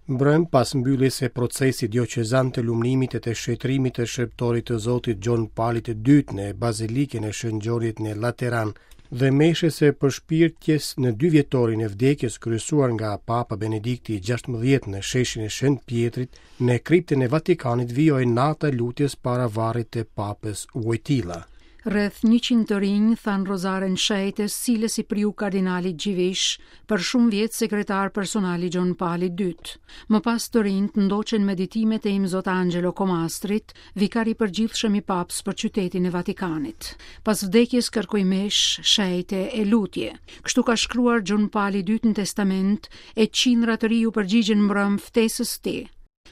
Mbrëmë, pas mbylljes së procesit dioqezan të lumnimit e të shenjtërimit të shërbëtorit të Zotit Gjon Palit të Dytë në Bazilikën e Shën Gjonit në Lateran dhe meshës së përshpirtjes në dyvjetorin e vdekjes kryesuar nga Papa Benedikti i 16 në sheshin e Shën Pjetrit në kriptën e Vatikanit vijoi nata e lutjes para varrit të Papës Wojtyla. Rreth 100 të rinj thanë rozaren shenjtë, së cilës i priu kardinali Dziwisz, për shumë vjet sekretar personal i Gjon Palit II. Më pas të rinjtë ndoqën meditimet e Imzot Angelo Comastrit, vikar i përgjithshëm i Papës për qytetin e Vatikanit. Pas vdekjes kërkoj meshë shenjte e lutje. Kështu ka shkruar Gjon Pali II në testament e qindra të rinj iu përgjigjën mbrëmë ftesës së tij.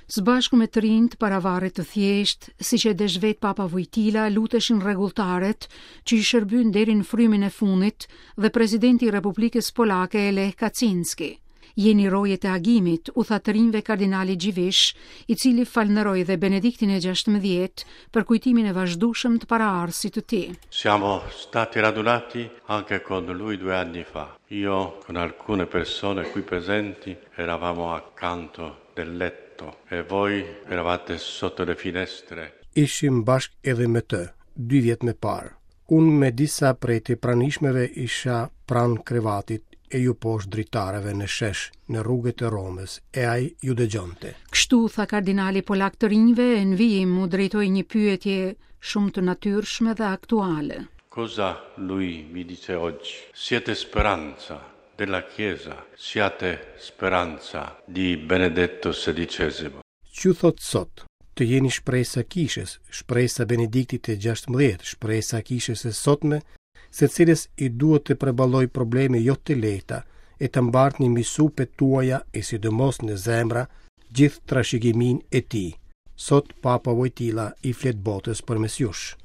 Së bashku me të rinjtë para varrit të thjeshtë, siç e desh vetë Papa Wojtyla, luteshin rregulltarët që i shërbyen deri në frymën e fundit dhe presidenti i Republikës Polake Lech Kaczynski. Jeni rojet e agimit, u tha të rinjve kardinali Dziwisz, i cili falënderoi dhe Benediktin e 16 për kujtimin e vazhdueshëm të paraardhësit të tij. Siamo stati radunati anche con lui due anni fa. Io con alcune persone qui presenti eravamo accanto del letto e voi eravate sotto le finestre. Ishim bashkë edhe me të, dy vjet më parë. Unë me disa prej të pranishmëve isha pranë krevatit e ju poshtë dritareve në shesh, në rrugët e Romës, e ai ju dëgjonte. Kështu tha kardinali polak të rinjve e në vijim u drejtoi një pyetje shumë të natyrshme dhe aktuale. Cosa lui mi dice oggi? Siete speranza della Chiesa, siate speranza di Benedetto XVI. Ç'ju thotë sot? Të jeni shpresa e kishës, shpresa e Benediktit të 16, shpresa e kishës së sotme, së cilës i duhet të përballojë probleme jo të lehta, e të mbartni mbi supet tuaja e sidomos në zemra gjithë trashëgiminë e tij. Sot Papa Wojtyla i flet botës përmes jush.